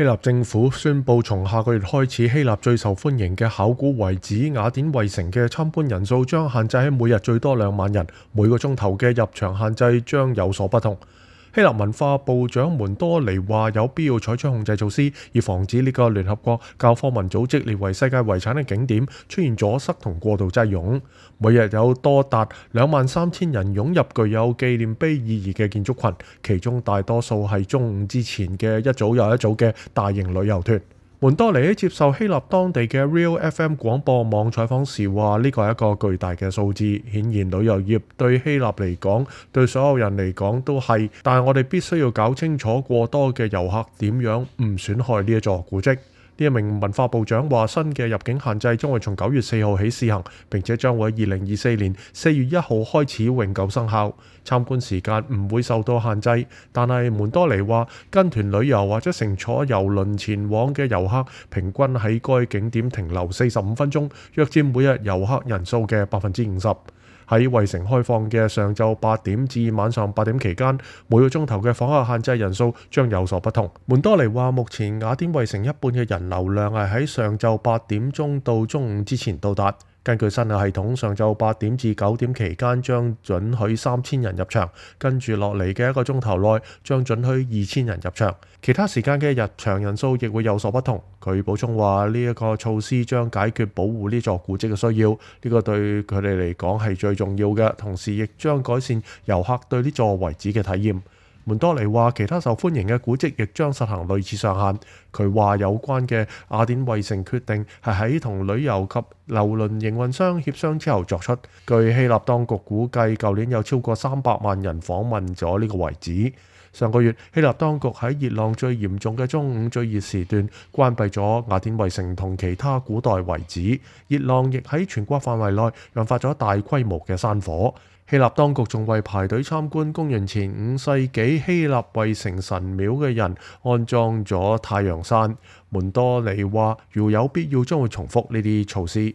希臘政府宣布，從下個月開始，希臘最受歡迎嘅考古遺址雅典衛城嘅參觀人數將限制喺每日最多2萬人，每個鐘頭嘅入場限制將有所不同。希臘文化部長門多尼話有必要採取控制措施，以防止呢個聯合國教科文組織列為世界遺產嘅景點出現阻塞同過度擠擁。每日有多達23,000人湧入具有紀念碑意義嘅建築群，其中大多數係中午之前嘅一組又一組嘅大型旅遊團。門多尼喺接受希臘當地嘅 Real FM 廣播網採訪時話：呢個係一個巨大嘅數字，顯然旅遊業對希臘嚟講，對所有人嚟講都係，但係我哋必須要搞清楚過多嘅遊客點樣唔損害呢一座古蹟。呢一名文化部長話：新嘅入境限制將會從9月4號起試行，並且將會喺2024年4月1號開始永久生效。參觀時間唔會受到限制，但係門多尼話，跟團旅遊或者乘坐郵輪前往嘅遊客平均喺該景點停留45分鐘，約佔每日遊客人數嘅50%。喺衛城開放嘅上晝8點至晚上8點期間，每個鐘頭嘅訪客限制人數將有所不同。門多尼話，目前雅典衛城一半嘅人流量係喺上晝8點鐘到中午之前到達。根據新嘅系統，上晝8點至9點期間將准許3000人入場，跟住落嚟嘅一個鐘頭內將准許2000人入場，其他時間嘅入場人數亦會有所不同。佢補充話，呢一個措施將解決保護呢座古蹟嘅需要，呢個對佢哋嚟講係最重要嘅，同時亦將改善遊客對呢座遺址嘅體驗。門多尼話，其他受歡迎嘅古蹟亦將實行類似上限。佢話有關嘅雅典衛城決定係喺同旅遊及郵輪營運商協商之後作出。據希臘當局估計，舊年有超過300萬人訪問咗呢個遺址。上個月，希臘當局喺熱浪最嚴重嘅中午最熱時段關閉咗雅典衛城同其他古代遺址。熱浪亦喺全國範圍內引發咗大規模嘅山火。希臘當局仲為排隊參觀公元前5世紀希臘衛城神廟嘅人安裝咗太陽傘。門多尼話，如有必要將會重複呢啲措施。